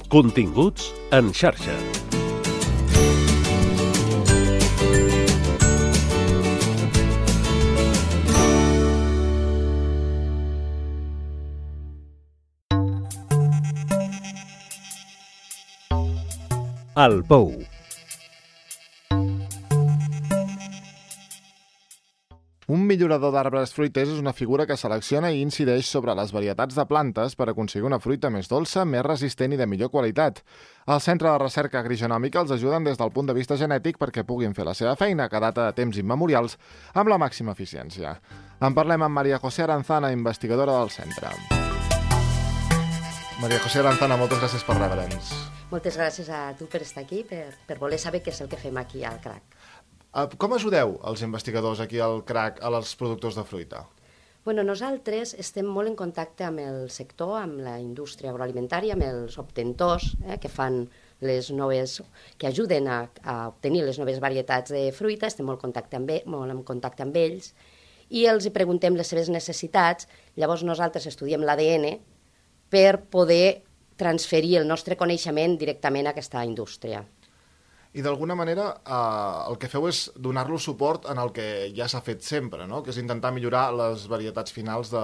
Continguts en xarxa. El Pou. Un millorador d'arbres fruiters és una figura que selecciona i incideix sobre les varietats de plantes per aconseguir una fruita més dolça, més resistent i de millor qualitat. El Centre de Recerca Agrogenòmica els ajuden des del punt de vista genètic perquè puguin fer la seva feina, que data de temps immemorials, amb la màxima eficiència. En parlem amb María José Aranzana, investigadora del centre. María José Aranzana, moltes gràcies per rebre'ns. Moltes gràcies a tu per estar aquí, per voler saber què és el que fem aquí al CRAC. Com ajudeu els investigadors aquí al CRAC als productors de fruita? Bueno, nosaltres estem molt en contacte amb el sector, amb la indústria agroalimentària, amb els obtentors que fan que ajuden a obtenir les noves varietats de fruita, estem molt en contacte amb ells i els hi preguntem les seves necessitats. Llavors nosaltres estudiem l'ADN per poder transferir el nostre coneixement directament a aquesta indústria. I d'alguna manera el que feu és donar-los suport en el que ja s'ha fet sempre, no? Que és intentar millorar les varietats finals de...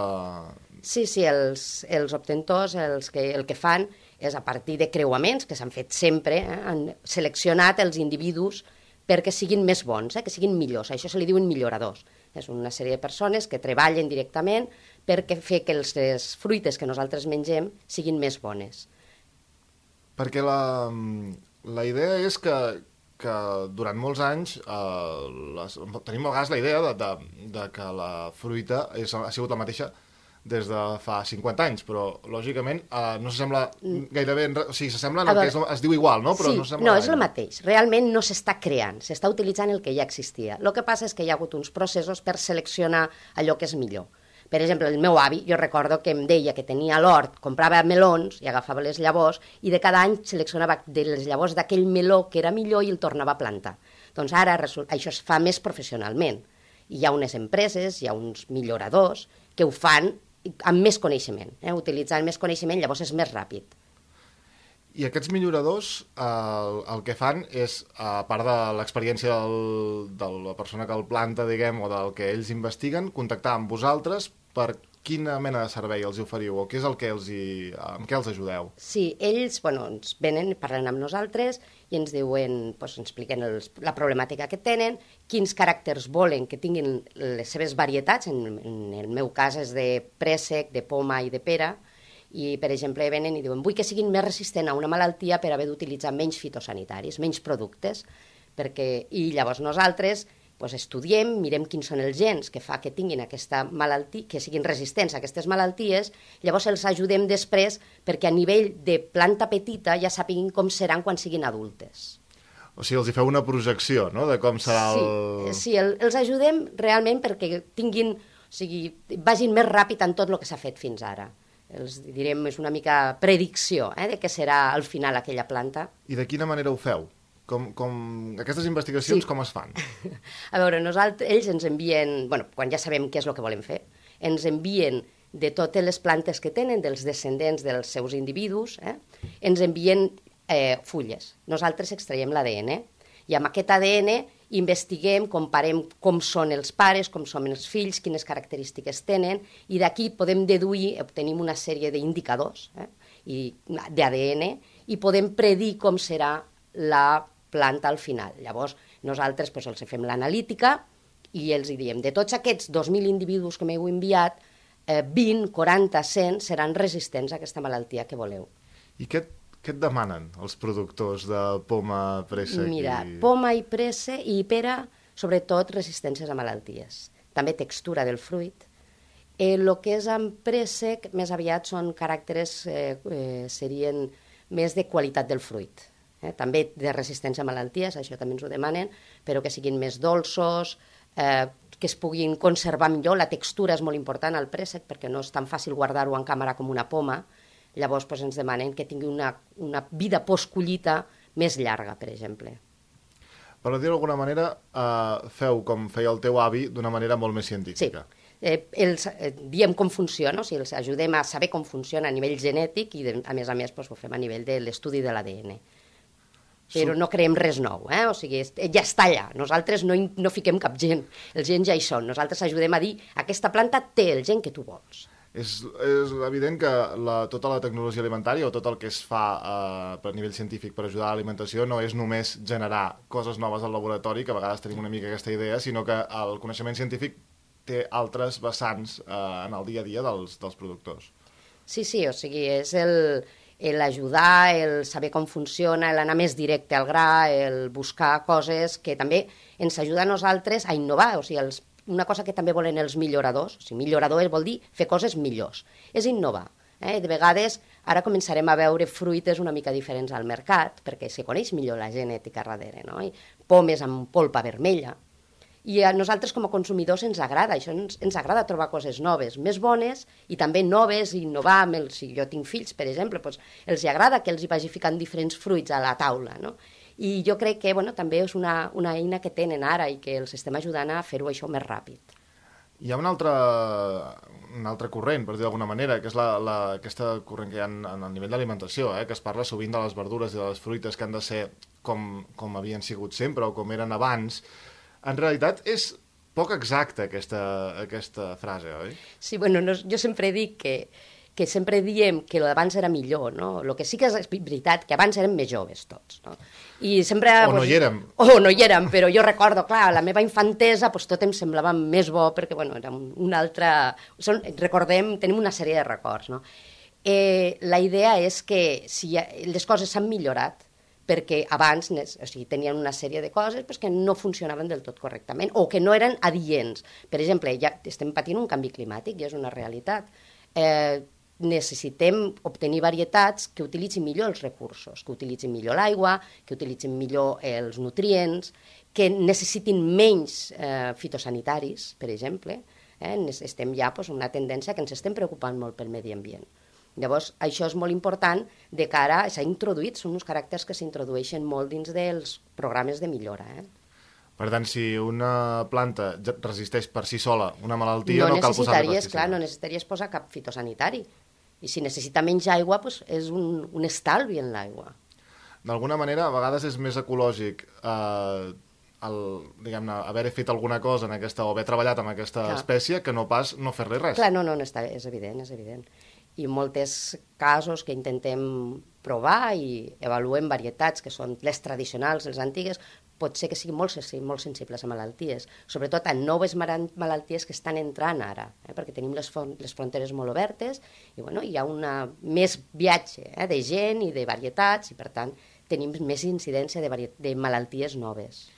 Sí, els obtentors el que fan és a partir de creuaments que s'han fet sempre, han seleccionat els individus perquè siguin més bons, que siguin millors. Això se li diuen milloradors. És una sèrie de persones que treballen directament perquè fer que les fruites que nosaltres mengem siguin més bones. Perquè la idea és que durant molts anys tenim a vegades la idea de que la fruita ha sigut la mateixa des de fa 50 anys, però lògicament no s'assembla gairebé... O sigui, s'assembla en el que es diu igual, no? Però sí, no s'assembla no, és el mateix. Realment no s'està creant, s'està utilitzant el que ja existia. El que passa és que hi ha hagut uns processos per seleccionar allò que és millor. Per exemple, el meu avi, jo recordo que em deia que tenia a l'hort, comprava melons i agafava les llavors i de cada any seleccionava de les llavors d'aquell meló que era millor i el tornava a plantar. Doncs ara això es fa més professionalment. Hi ha unes empreses, hi ha uns milloradors que ho fan amb més coneixement, utilitzant més coneixement, llavors és més ràpid. I aquests milloradors el que fan és, a part de l'experiència de la persona que el planta, diguem, o del que ells investiguen, contactar amb vosaltres per quina mena de servei els oferiu o què és el que amb què els ajudeu? Sí, ells ens venen, parlen amb nosaltres i ens diuen, ens expliquen la problemàtica que tenen, quins caràcters volen que tinguin les seves varietats, en el meu cas és de préssec, de poma i de pera, i, per exemple, venen i diuen vull que siguin més resistents a una malaltia per haver d'utilitzar menys fitosanitaris, menys productes, i llavors nosaltres estudiem, mirem quins són els gens que fa que tinguin aquesta malaltia, que siguin resistents a aquestes malalties, llavors els ajudem després perquè a nivell de planta petita ja sàpiguin com seran quan siguin adultes. O sigui, els hi feu una projecció, no?, de com serà el... Sí, els ajudem realment perquè vagin més ràpid en tot el que s'ha fet fins ara. Els direm, és una mica predicció de què serà al final aquella planta. I de quina manera ho feu? Aquestes investigacions com es fan? A veure, ells ens envien, quan ja sabem què és el que volem fer, ens envien de totes les plantes que tenen, dels descendents dels seus individus, ens envien fulles. Nosaltres extraiem l'ADN i amb aquest ADN investiguem, comparem com són els pares, com són els fills, quines característiques tenen, i d'aquí podem deduir, obtenim una sèrie d'indicadors d'ADN i podem predir com serà la planta al final. Llavors, nosaltres els fem l'analítica i els diem, de tots aquests 2.000 individus que m'heu enviat, 20, 40, 100 seran resistents a aquesta malaltia que voleu. I què et demanen els productors de poma, préssec? Mira, poma i préssec i pera, sobretot resistències a malalties. També textura del fruit. El que és amb préssec, més aviat són caràcters, serien més de qualitat del fruit. També de resistència a malalties, això també ens ho demanen, però que siguin més dolços, que es puguin conservar millor. La textura és molt important al préssec perquè no és tan fàcil guardar-ho en càmera com una poma. Llavors ens demanen que tingui una vida post-collita més llarga, per exemple. Per dir-ho d'alguna manera, feu com feia el teu avi d'una manera molt més científica. Sí. diem com funciona, o sigui, els ajudem a saber com funciona a nivell genètic i, a més, ho fem a nivell de l'estudi de l'ADN. Però no creem res nou, o sigui, ja està allà. Nosaltres no fiquem cap gen, els gens ja hi són. Nosaltres ajudem a dir, aquesta planta té el gen que tu vols. És evident que tota la tecnologia alimentària o tot el que es fa per nivell científic per ajudar a l'alimentació no és només generar coses noves al laboratori, que a vegades tenim una mica aquesta idea, sinó que el coneixement científic té altres vessants en el dia a dia dels productors. Sí, o sigui, és l'ajudar, el saber com funciona, l'anar més directe al gra, el buscar coses que també ens ajuda a nosaltres a innovar, o sigui, una cosa que també volen els milloradors, o sigui, millorador vol dir fer coses millors, és innovar. De vegades, ara començarem a veure fruites una mica diferents al mercat, perquè se coneix millor la genètica darrere, no? I pomes amb polpa vermella. I a nosaltres, com a consumidors, ens agrada, això ens agrada trobar coses noves, més bones i també noves, i innovar. Si jo tinc fills, per exemple, doncs els agrada que els hi vagi ficant diferents fruits a la taula, no? I jo crec que també és una eina que tenen ara i que els estem ajudant a fer-ho això més ràpid. Hi ha un altre corrent, per dir d'alguna manera, que és aquesta corrent que hi ha a nivell d'alimentació, que es parla sovint de les verdures i de les fruites que han de ser com havien sigut sempre o com eren abans. En realitat és poc exacta aquesta frase, oi? Sí, bueno, jo sempre dic que sempre diem que l'abans era millor, no? El que sí que és veritat, que abans érem més joves tots, no? I sempre... O no hi érem. O no hi érem, però jo recordo, clar, la meva infantesa tot em semblava més bo, perquè, bueno, era una altra... Recordem, tenim una sèrie de records, no? La idea és que si les coses s'han millorat, perquè abans tenien una sèrie de coses que no funcionaven del tot correctament o que no eren adients. Per exemple, ja estem patint un canvi climàtic i és una realitat. Necessitem obtenir varietats que utilitzin millor els recursos, que utilitzin millor l'aigua, que utilitzin millor els nutrients, que necessitin menys fitosanitaris, per exemple. Estem ja en una tendència que ens estem preocupant molt pel medi ambient. Llavors, això és molt important de cara, s'ha introduït, són uns caràcters que s'introdueixen molt dins dels programes de millora. Per tant, si una planta resisteix per si sola una malaltia, no cal posar-li pesticida. Clar, no necessitaries posar cap fitosanitari. I si necessita menys aigua, és un estalvi en l'aigua. D'alguna manera, a vegades és més ecològic diguem-ne, haver fet alguna cosa o haver treballat amb aquesta espècie que no pas no fer-li res. Clar, no, és evident, és evident. I en molts casos que intentem provar i avaluem varietats que són les tradicionals, les antigues, pot ser que siguin molt sensibles a malalties, sobretot a noves malalties que estan entrant ara, perquè tenim les fronteres molt obertes i hi ha més viatge de gent i de varietats i, per tant, tenim més incidència de malalties noves.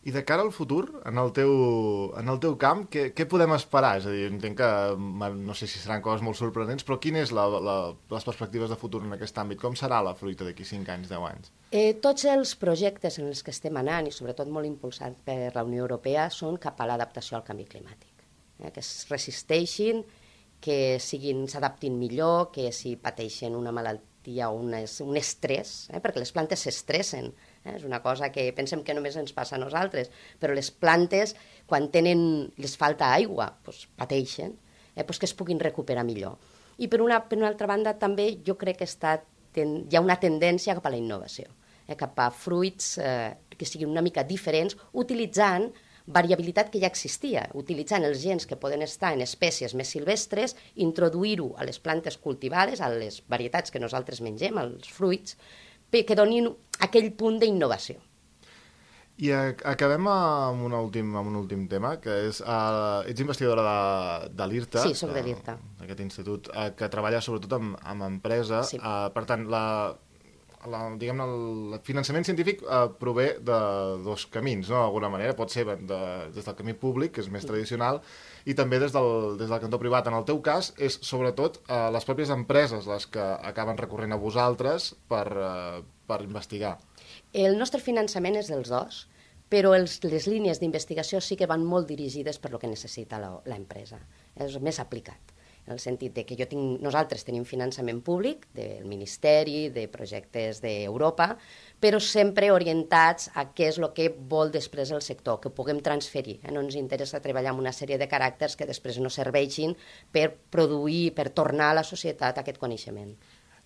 I de cara al futur, en el teu camp, què podem esperar? És a dir, entenc que no sé si seran coses molt sorprenents, però quines les perspectives de futur en aquest àmbit? Com serà la fruita d'aquí 5 anys, 10 anys? Tots els projectes en els que estem anant, i sobretot molt impulsats per la Unió Europea, són cap a l'adaptació al canvi climàtic. Que es resisteixin, que s'adaptin millor, que si pateixen una malaltia o un estrès, perquè les plantes s'estressen. És una cosa que pensem que només ens passa a nosaltres, però les plantes, quan les falta aigua, pateixen, que es puguin recuperar millor. I per una altra banda, també jo crec que hi ha una tendència cap a la innovació, cap a fruits que siguin una mica diferents, utilitzant variabilitat que ja existia, utilitzant els gens que poden estar en espècies més silvestres, introduir-ho a les plantes cultivades, a les varietats que nosaltres mengem, als fruits, que donin aquell punt d'innovació. I acabem amb un últim tema, que és... Ets investigadora de l'IRTA. Sí, soc de l'IRTA. D'aquest institut, que treballa sobretot amb empresa. Sí. Per tant, el finançament científic prové de dos camins, no? D'alguna manera. Pot ser des del camí públic, que és més tradicional, i també des del cantó privat. En el teu cas, és sobretot les pròpies empreses les que acaben recorrent a vosaltres per investigar. El nostre finançament és dels dos, però les línies d'investigació sí que van molt dirigides per lo que necessita l'empresa. És més aplicat. en el sentit de que nosaltres tenim finançament públic del Ministeri, de projectes d'Europa, però sempre orientats a què és el que vol després el sector, que ho puguem transferir. No ens interessa treballar amb una sèrie de caràcters que després no serveixin per produir, per tornar a la societat aquest coneixement.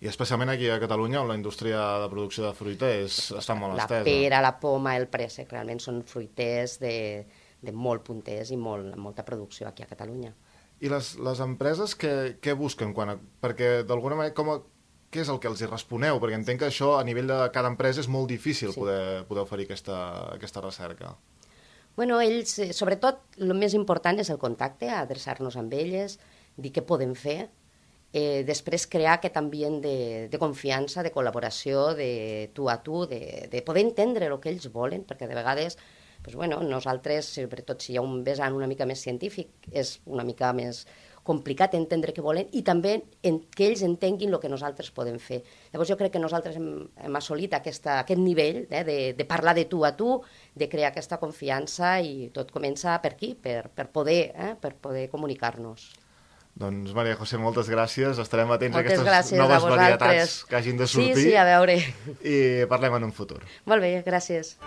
I especialment aquí a Catalunya, on la indústria de producció de fruita està molt estesa. La pera, la poma, el préssec, realment són fruiters de molt punters i amb molta producció aquí a Catalunya. I les empreses què busquen? Perquè d'alguna manera, què és el que els hi responeu? Perquè entenc que això a nivell de cada empresa és molt difícil poder oferir aquesta recerca. Bueno, ells, sobretot, el més important és el contacte, adreçar-nos amb elles, dir què podem fer, després crear aquest ambient de confiança, de col·laboració, de tu a tu, de poder entendre el que ells volen, perquè de vegades nosaltres, sobretot si hi ha un vessant una mica més científic, és una mica més complicat entendre què volen i també que ells entenguin el que nosaltres podem fer. Llavors jo crec que nosaltres hem assolit aquest nivell de parlar de tu a tu, de crear aquesta confiança i tot comença per aquí, per poder comunicar-nos. Doncs, Maria José, moltes gràcies. Estarem atents a aquestes noves varietats que hagin de sortir. Sí, a veure. I parlem en un futur. Molt bé, gràcies.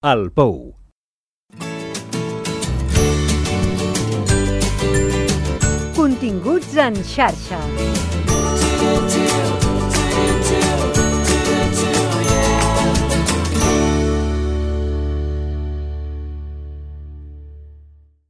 El Pou. Continguts en xarxa.